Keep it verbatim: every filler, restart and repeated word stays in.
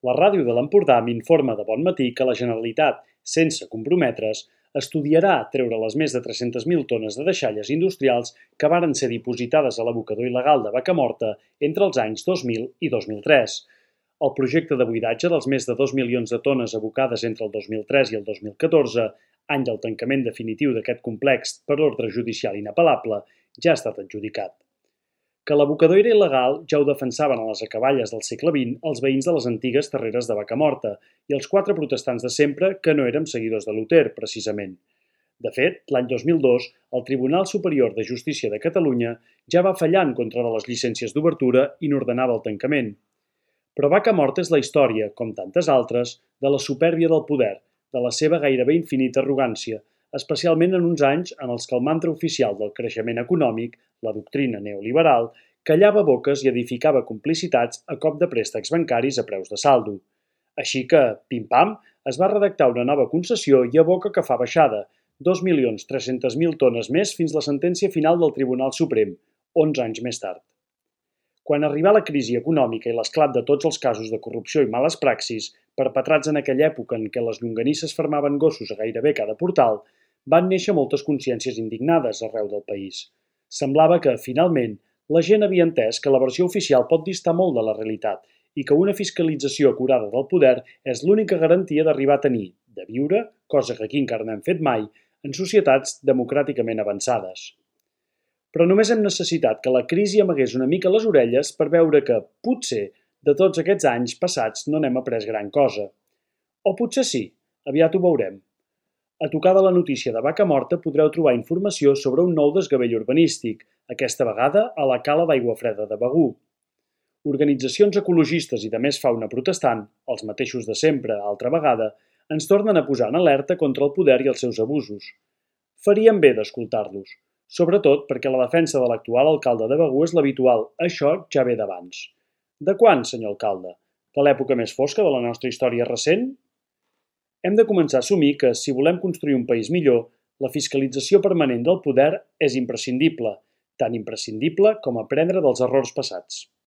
La ràdio de l'Empordà m'informa de bon matí que la Generalitat, sense comprometre's, estudiarà treure les més de tres-centes mil tones de deixalles industrials que varen ser dipositades a l'abocador il·legal de Vacamorta entre els anys dos mil i dos mil tres. El projecte de buidatge dels més de dos milions de tones abocades entre el dos mil tres i el dos mil catorze, any del tancament definitiu d'aquest complex per ordre judicial inapel·lable, ja ha estat adjudicat. Que l'abocador era il·legal ja ho defensaven a les acaballes del segle vint els veïns de les antigues terreres de Vacamorta i els quatre protestants de sempre que no érem seguidors de Luter, precisament. De fet, l'any dos mil dos, el Tribunal Superior de Justícia de Catalunya ja va fallar en contra de les llicències d'obertura i n'ordenava el tancament. Però Vacamorta és la història, com tantes altres, de la supèrbia del poder, de la seva gairebé infinita arrogància, especialment en uns anys en els que el mantra oficial del creixement econòmic, la doctrina neoliberal, callava boques i edificava complicitats a cop de préstecs bancaris a preus de saldo. Així que, pim-pam, es va redactar una nova concessió i a boca que fa baixada, dos milions tres-centes mil tones més fins la sentència final del Tribunal Suprem, onze anys més tard. Quan arribà la crisi econòmica i l'esclat de tots els casos de corrupció i males praxis, perpetrats en aquella època en què les llonganisses fermaven gossos a gairebé cada portal, van néixer moltes consciències indignades arreu del país. Semblava que, finalment, la gent havia entès que la versió oficial pot distar molt de la realitat i que una fiscalització acurada del poder és l'única garantia d'arribar a tenir, de viure, cosa que aquí encara no hem fet mai, en societats democràticament avançades. Però només hem necessitat que la crisi amagués una mica les orelles per veure que, potser, de tots aquests anys passats no n'hem après gran cosa. O potser sí, aviat ho veurem. A tocar de la notícia de Vacamorta podreu trobar informació sobre un nou desgavell urbanístic, aquesta vegada a la cala d'Aigua Freda de Begur. Organitzacions ecologistes i de més fauna protestant, els mateixos de sempre, altra vegada, ens tornen a posar en alerta contra el poder i els seus abusos. Faríem bé d'escoltar-los, sobretot perquè la defensa de l'actual alcalde de Begur és l'habitual, això ja ve d'abans. De quan, senyor alcalde? De l'època més fosca de la nostra història recent? Hem de començar a assumir que, si volem construir un país millor, la fiscalització permanent del poder és imprescindible, tan imprescindible com aprendre dels errors passats.